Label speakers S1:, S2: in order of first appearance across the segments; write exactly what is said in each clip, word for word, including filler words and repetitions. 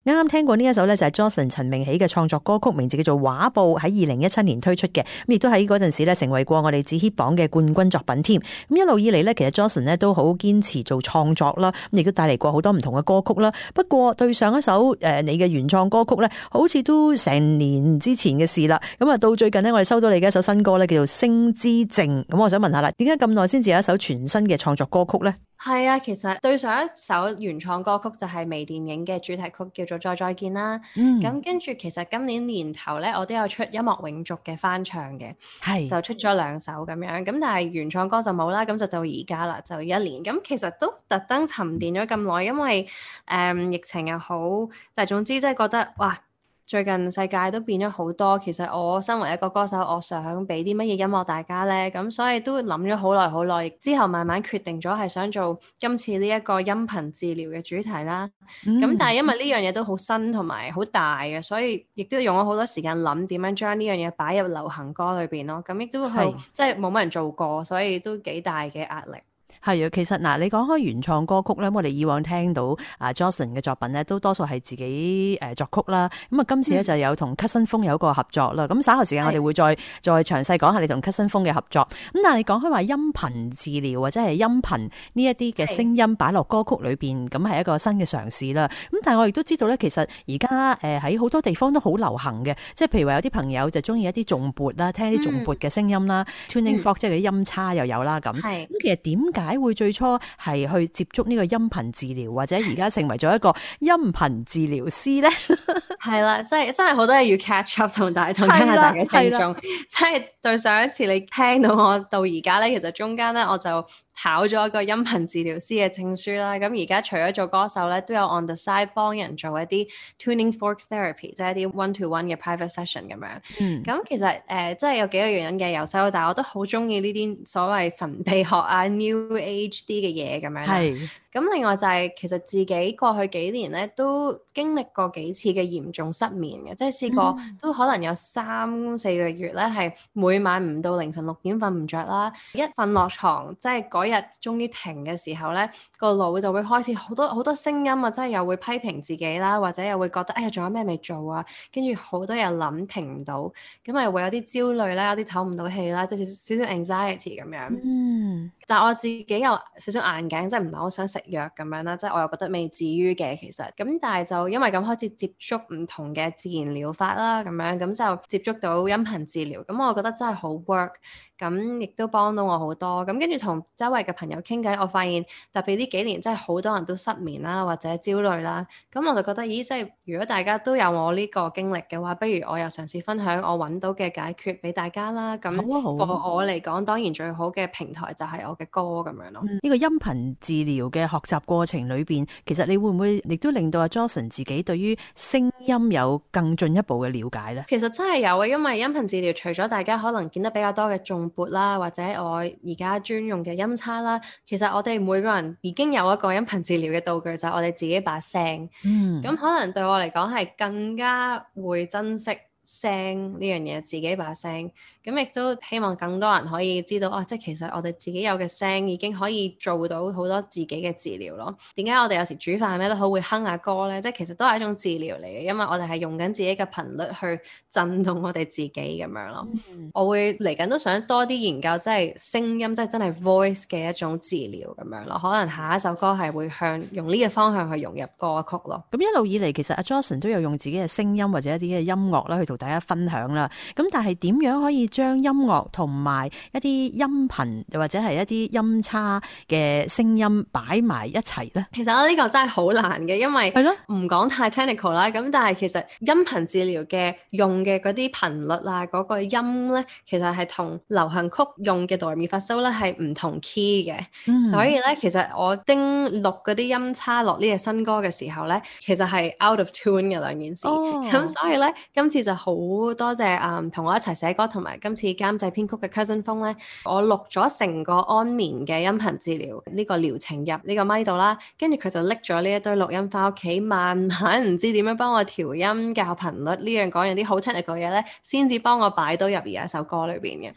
S1: 啱啱聽過呢一首咧就係 Jocelyn 陳明喜嘅創作歌曲，名字叫做畫布，喺二零一七年推出嘅，咁亦都喺嗰陣時咧成為過我哋紫 hit 榜嘅冠軍作品添。咁一路以嚟咧，其實 Jocelyn 咧都好堅持做創作啦，咁亦都帶嚟過好多唔同嘅歌曲啦。不過對上一首誒你嘅原創歌曲咧，好似都成年之前嘅事啦。咁啊到最近呢，我哋收到你嘅一首新歌咧，叫做《星之靜》。咁我想問下啦，點解咁耐先至有一首全新嘅創作歌曲咧？
S2: 係啊，其實對上一首原創歌曲就係微電影嘅主題曲，叫做《再再見》啦。
S1: 嗯，
S2: 咁跟住其實今年年頭咧，我都有出音樂永續嘅翻唱嘅，
S1: 係
S2: 就出咗兩首咁樣。咁但係原創歌就冇啦，咁就到而家啦，就一年。咁其實都特登沉澱咗咁耐，因為誒、嗯、疫情又好，但係總之即係覺得哇〜最近世界都變咗好多，其實我身為一個歌手，我想俾啲乜嘢音樂大家呢？咁所以都諗咗好耐好耐，之後慢慢決定咗係想做今次呢一個音頻治療嘅主題啦。咁、嗯、但係因為呢樣嘢都好新同埋好大嘅，所以亦都用咗好多時間諗點樣將呢樣嘢擺入流行歌裏邊咯。咁亦都係即係冇乜人做過，所以都幾大嘅壓力。
S1: 係啊，其實嗱，你講開原創歌曲咧，我哋以往聽到啊 Jocelyn 嘅作品咧，都多數係自己誒作曲啦。咁啊，今次咧就有同 Cousin 風有一個合作啦。咁、嗯、稍後時間我哋會再再詳細講下你同 Cousin 風嘅合作。咁但係你講開話音頻治療或者係音頻呢一啲嘅聲音擺落歌曲裏邊，咁係一個新嘅嘗試啦。咁但係我亦都知道咧，其實而家誒喺好多地方都好流行嘅，即係譬如話有啲朋友就中意一啲重撥啦，聽啲重撥嘅聲音啦、嗯、，tuning fork 即係嗰啲音叉又有啦咁。咁其實點解會最初係去接觸呢個音頻治療，或者而家成為咗一個音頻治療師咧？
S2: 係啦，即係真係好多嘢要 catch up 同大同加拿大嘅聽眾。即係對上一次你聽到我到而家咧，其實中間咧我就考咗一個音頻治療師嘅證書啦。咁而家除咗做歌手咧，都有 on the side 幫人做一啲 tuning forks therapy，即係一啲 one to one 嘅 private session 咁樣。嗯。咁其實誒、呃，即係有幾個原因嘅。由細到大我都好中意呢啲所謂神秘學啊 new age 啲嘅嘢咁樣。係。咁另外就係、是、其實自己過去幾年咧都經歷過幾次嘅嚴重失眠嘅，即係試過都可能有三四個月咧係每晚唔到凌晨六點瞓唔着啦，一瞓落床即係嗰日終於停嘅時候咧，個腦就會開始好多好多聲音啊，即係又會批評自己啦，或者又會覺得哎呀仲有咩未做啊，跟住好多嘢諗停唔到，咁咪會有啲焦慮啦，有啲唞唔到氣啦，即係少少 anxiety 咁樣。嗯，但係我自己有少少眼鏡，即係唔係好想食藥咁樣啦，即係我又覺得未至於嘅其實，咁但係就因為咁開始接觸唔同嘅自然療法啦，咁樣咁就接觸到音頻治療，咁我覺得真係好 work，咁亦都幫到我好多，咁跟住同周圍嘅朋友傾偈，我發現特別呢幾年真係好多人都失眠啦或者焦慮啦，咁我就覺得咦，即係如果大家都有我呢個經歷嘅話，不如我又嘗試分享我揾到嘅解決俾大家啦，咁對我嚟講當然最好嘅平台就係我嘅歌咁樣咯。呢、
S1: 嗯，這個音頻治療嘅學習過程裏邊，其實你會唔會亦都令到阿 Jocelyn 自己對於聲音有更進一步嘅了解呢？
S2: 其實真係有啊，因為音頻治療除咗大家可能見得比較多嘅重撥啦，或者我而家專用嘅音叉啦，其實我哋每個人已經有一個音頻治療嘅道具，就係我哋自己把聲。嗯，咁可能對我嚟講係更加會珍惜聲呢樣嘢，自己把聲，咁亦都希望更多人可以知道啊，即係其實我哋自己有嘅聲已經可以做到好多自己嘅治療咯。點解我哋有時煮飯咩都好會哼下歌呢？即係其實都係一種治療嚟嘅，因為我哋係用緊自己嘅頻率去震動我哋自己咁樣咯。嗯、我會嚟緊都想多啲研究即係聲音，即係真係 voice 嘅一種治療咁樣咯。可能下一首歌係會向用呢個方向去融入歌曲咯。
S1: 咁一路以嚟其實阿 Jocelyn 都有用自己嘅聲音或者一啲嘅音樂啦去同大家分享啦。咁但係點樣可以將音樂同埋一啲音頻又或者係一啲音叉嘅聲音擺埋一齊呢？
S2: 其實我呢個真係好難嘅，因為唔講太 technical 啦。咁但係其實音頻治療嘅用嘅嗰啲頻率啊，嗰、嗰個音呢，其實係同流行曲用嘅哆來咪發蘇咧係唔同 key 嘅。嗯、所以呢，其實我叮錄嗰啲音叉落呢隻新歌嘅時候呢，其實係 out of tune 嘅兩件事。咁、哦、所以呢，今次就好多謝誒同、嗯、我一齊寫歌同埋今次監製編曲嘅 Cousin 風咧，我錄咗成個安眠嘅音頻治療呢、呢個療程入呢個咪度啦，跟住佢就拎咗呢一堆錄音翻屋企，慢慢唔知點樣幫我調音、校頻率呢樣講樣啲好 technical 嘅嘢咧，先至幫我擺到入而家首歌裏邊嘅。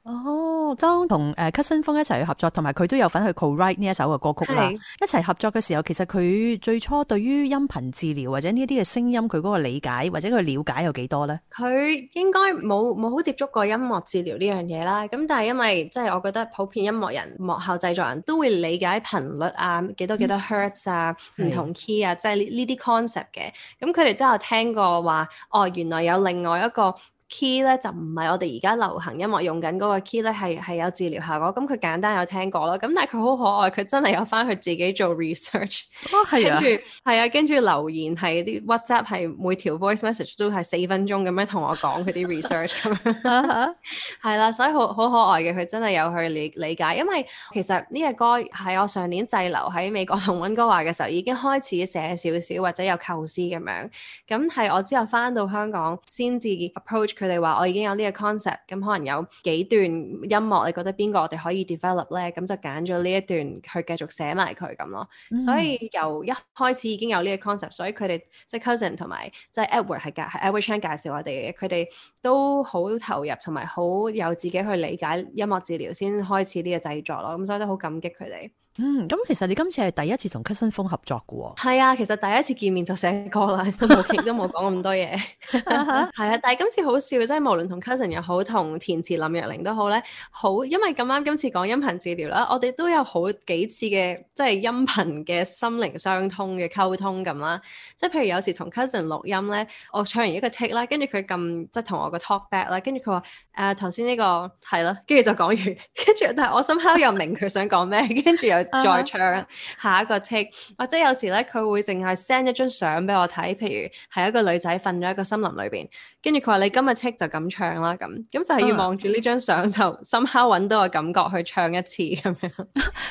S1: 哦，當同誒 Cousin 風一齊去合作，同埋佢都有份去 co-write 呢一首嘅歌曲啦。一齊合作嘅時候，其實佢最初對於音頻治療或者呢啲嘅聲音，佢嗰個理解或者佢了解有幾多咧？
S2: 佢應該冇冇好接觸過音樂治療呢樣嘢啦。咁但係因為即係我覺得普遍音樂人、幕後製作人都會理解頻率啊、幾多幾多 hertz 啊、唔、嗯、同 key 啊，即係呢呢啲 concept 嘅。咁佢哋都有聽過話，哦，原來有另外一個 key 咧，就唔係我哋而家流行音樂用緊嗰個 key 咧，係係有治療效果。咁佢簡單有聽過咯。咁但係佢好可愛，佢真係有翻去自己做 research。
S1: 哦，係啊，
S2: 跟住係啊，跟住留言係啲 WhatsApp 係每條 voice message 都係四分鐘咁樣同我講佢啲 research 咁樣。係啦，所以好好可愛嘅，佢真係有去理理解。因為其實呢隻歌喺我上年滯留喺美國同溫哥華嘅時候已經開始寫少少或者有構思咁樣。咁係我之後翻到香港先至 approach。佢哋話我已經有呢個 concept，咁可能有幾段音樂，你覺得邊個我哋可以 develop 咧？咁就揀咗呢一段去繼續寫埋佢咁咯。嗯、所以由一開始已經有呢個 concept，所以佢哋即係 cousin 同埋即係 Edward 係介係 Edward Chan 介紹我哋嘅，佢哋都好投入同埋好有自己去理解音樂治療先開始呢個製作咯。咁所以都好感激佢哋。
S1: 嗯，咁其實你今次係第一次同 Cousin 風合作嘅喎。
S2: 係啊，其實第一次見面就寫歌啦，都冇傾都冇講咁多嘢。係啊，但係今次好笑，即係無論同 Cousin 又好，同填詞林若寧都好咧，好因為咁啱今次講音頻治療啦，我哋都有好幾次嘅即係音頻嘅心靈相通嘅溝通咁啦。即係譬如有時同 Cousin 錄音咧，我唱完一個 take 啦，跟住佢撳即係同我個 talk back 啦，跟住佢話誒頭先呢個係咯，跟住就講完，跟住但係我深刻又明佢想講咩，跟住又再唱下一個 take， 或者有時咧佢會淨係 send 一張相俾我睇，譬如係一個女仔瞓咗喺個森林裏邊，跟住佢話你今日 take 就咁唱啦，咁咁就係要望住呢張相就深刻揾到個感覺去唱一次咁樣，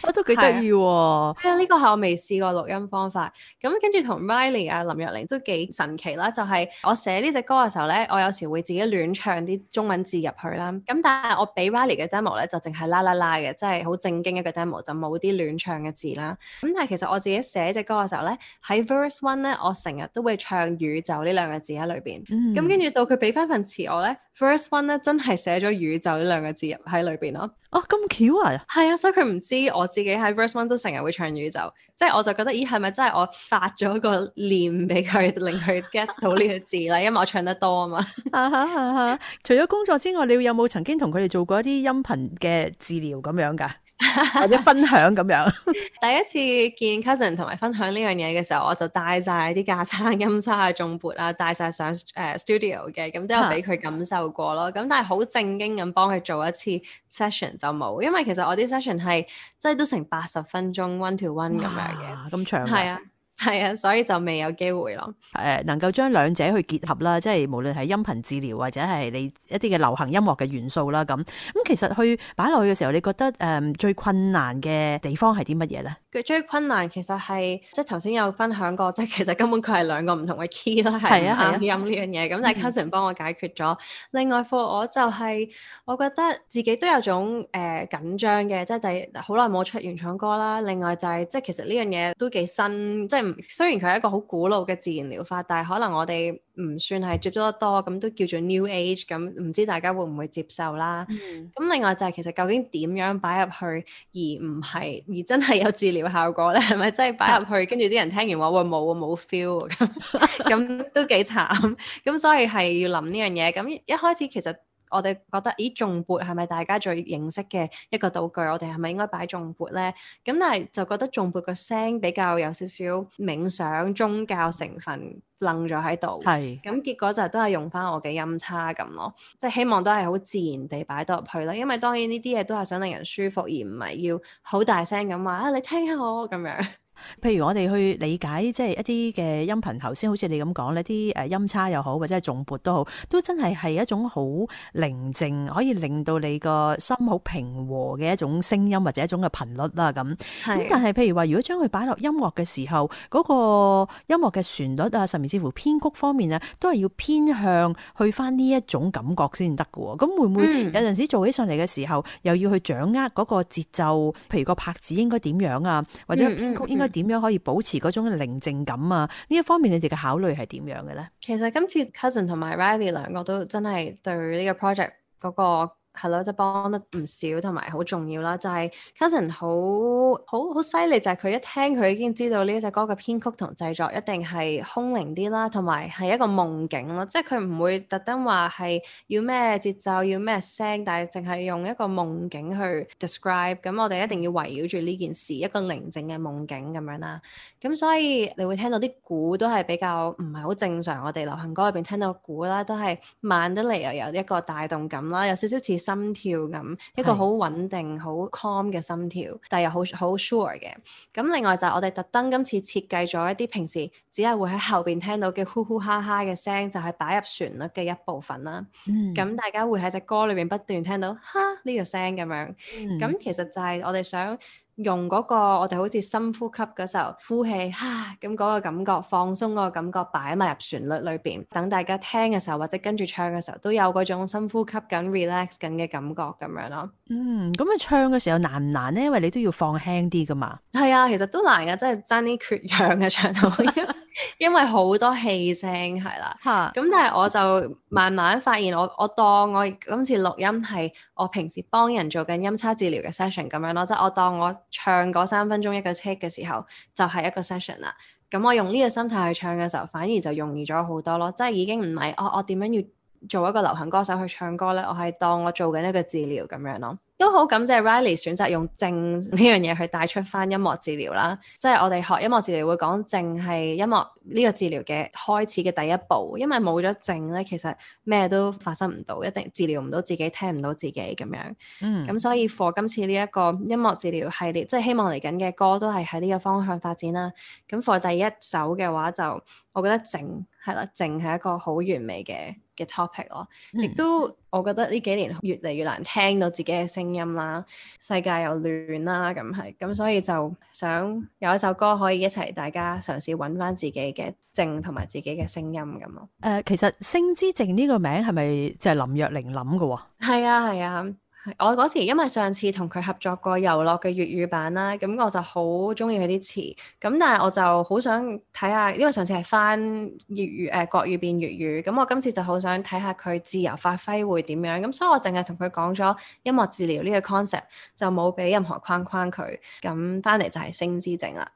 S1: 我都幾得意喎。
S2: 係啊，呢個係我未試過錄音方法。咁跟住同 Riley 啊林若寧都幾神奇啦，就係、是、我寫呢隻歌嘅時候咧，我有時會自己亂唱啲中文字入去啦。咁但係我俾 Riley 嘅 demo 咧就淨係啦啦啦嘅，即係好正經一個 demo，就冇啲亂唱嘅字啦。咁但係其實我自己寫隻歌嘅時候咧，喺 verse one 咧，我成日都會唱宇宙呢兩個字喺裏邊。咁跟住到佢俾翻份詞我咧 verse one 咧真係寫咗宇宙呢兩個字入喺裏邊咯。
S1: 哦，咁巧啊！係
S2: 啊，所以佢唔知我自己喺 verse one 都成日會唱宇宙，即係我就覺得咦係咪真係我發咗個念俾佢，令佢 get 到呢個字啦？因為我唱得多啊嘛。啊哈啊
S1: 哈！除咗工作之外，你有冇曾經同佢哋做過一啲音頻嘅治療咁樣㗎？或者分享咁樣。
S2: 第一次見 cousin 同埋分享呢樣嘢嘅時候，我就帶晒啲架撐、音叉啊、重撥啊，帶晒上誒、uh, studio 嘅，咁都有俾佢感受過咯。咁但係好正經咁幫佢做一次 session 就冇，因為其實我啲 session 係即係都成八十分鐘 one to one 咁樣嘅，
S1: 咁長
S2: 係啊。係啊，所以就未有機會咯。
S1: 誒，能夠將兩者去結合啦，即係無論係音頻治療或者係你一啲嘅流行音樂嘅元素啦，咁咁其實去擺落去嘅時候，你覺得誒、嗯、最困難嘅地方係啲乜嘢咧？
S2: 佢最困難其實係即係頭先有分享過，即係其實根本佢係兩個唔同嘅 key 啦，係唔啱音呢樣嘢。咁但係 cousin 幫我解決咗。嗯、另外 for 我就係、是、我覺得自己都有種誒、呃、緊張嘅，即係第好耐冇出原創歌啦。另外就係、是、即係其實呢樣嘢都幾新，即係雖然佢係一個好古老嘅自然療法，但係可能我哋唔算係接觸得多，咁都叫做 new age，咁唔知大家會唔會接受啦？咁、嗯、另外就係其實究竟點樣擺入去，而唔係而真係有治療效果咧？係咪真係擺入去，跟住啲人聽完話喂冇啊冇 feel 咁，咁都幾慘。咁所以係要諗呢樣嘢。咁一開始其實我哋覺得，咦，頌缽係咪大家最認識嘅一個道具？我哋係咪應該擺頌缽咧？咁但係就覺得頌缽個聲比較有少少冥想宗教成分愣咗喺度。係。咁結果就都係用翻我嘅音叉咁咯，即係希望都係好自然地擺到入去啦。因為當然呢啲嘢都係想令人舒服，而唔係要好大聲咁話啊！你聽下我咁樣。
S1: 譬如我哋去理解即係一啲嘅音頻，頭先好似你咁講呢啲誒音叉又好，或者係頌缽都好，都真係係一種好寧靜，可以令到你個心好平和嘅一種聲音或者一種嘅頻率啦。咁咁但係譬如話，如果將佢擺落音樂嘅時候，嗰、那個音樂嘅旋律啊，甚至乎編曲方面啊，都係要偏向去翻呢一種感覺先得㗎。咁會唔會有陣時做起上嚟嘅時候，又要去掌握嗰個節奏？譬如個拍子應該點樣啊，或者編曲應該點樣可以保持嗰種寧靜感啊？呢一方面你哋嘅考慮係點樣嘅咧？
S2: 其實今次 cousin 同埋 Riley 兩個都真係對呢個 project 嗰個係咯，即係幫得唔少同埋好重要啦。就係 Cousin 好好好犀利，就係佢一聽佢已經知道呢隻歌嘅編曲同製作一定係空靈啲啦，同埋係一個夢境咯。即係佢唔會特登話係要咩節奏要咩聲，但係淨係用一個夢境去 describe。咁我哋一定要圍繞住呢件事一個寧靜嘅夢境咁樣啦。咁所以你會聽到啲鼓都係比較唔係好正常，我哋流行歌入邊聽到鼓啦，都係慢得嚟又有一個帶動感啦，有少少似心跳咁，一個好穩定、好 calm 嘅心跳，但係又好好 sure 嘅。咁另外就係我哋特登今次設計咗一啲平時只係會喺後邊聽到嘅呼呼哈哈嘅聲，就係擺入旋律嘅一部分啦。咁、嗯、大家會喺隻歌裏邊不斷聽到哈呢個聲咁樣。咁、嗯、其實就係我哋想用嗰個我哋好似深呼吸嗰時候呼氣哈咁嗰個感覺，放鬆嗰個感覺擺埋入旋律裏邊，等大家聽嘅時候或者跟住唱嘅時候都有嗰種深呼吸緊 relax 緊嘅感覺咁樣咯。
S1: 嗯，咁你唱嘅時候難唔難呢？因為你都要放輕啲噶嘛。
S2: 係啊，其實都難㗎，真係爭啲缺氧嘅唱到，因為好多氣聲係啦。咁但係我就慢慢發現我，我我當我今次錄音係我平時幫人做緊音叉治療嘅 session 咁樣咯，即係我當我唱嗰三分鐘一個 take 嘅時候，就係一個 session 啦。咁我用呢個心態去唱嘅時候，反而就容易咗好多咯。即係已經唔係我我點樣要做一個流行歌手去唱歌咧，我係當我做緊一個治療咁樣咯。都好感謝 Riley 選擇用靜呢樣嘢去帶出翻音樂治療啦，即係我哋學音樂治療會講靜係音樂呢個治療嘅開始嘅第一步，因為冇咗靜咧，其實咩都發生唔到，一定治療唔到自己，聽唔到自己咁樣。嗯，咁所以 for 今次呢一個音樂治療系列，即係希望嚟緊嘅歌都係喺呢個方向發展啦。咁 for 第一首嘅話就，我覺得靜係啦，靜係一個好完美嘅嘅 topic 咯，亦、嗯、都我覺得呢幾年越嚟越難聽到自己嘅聲音啦，世界又亂啦，咁係咁，所以就想有一首歌可以一齊大家嘗試揾翻自己嘅靜同埋自己嘅聲音咁咯。誒、
S1: 呃，其實聲之靜呢個名係咪就係林若寧諗嘅？
S2: 係啊，係啊。我嗰時因為上次同佢合作過遊樂嘅粵語版啦，咁我就好中意佢啲詞，咁但係我就好想睇下，因為上次係翻粵語誒、呃、國語變粵語，咁我今次就好想睇下佢自由發揮會點樣，咁所以我淨係同佢講咗音樂治療呢個 concept，就冇俾任何框框佢，咁翻嚟就係聲之靜啦。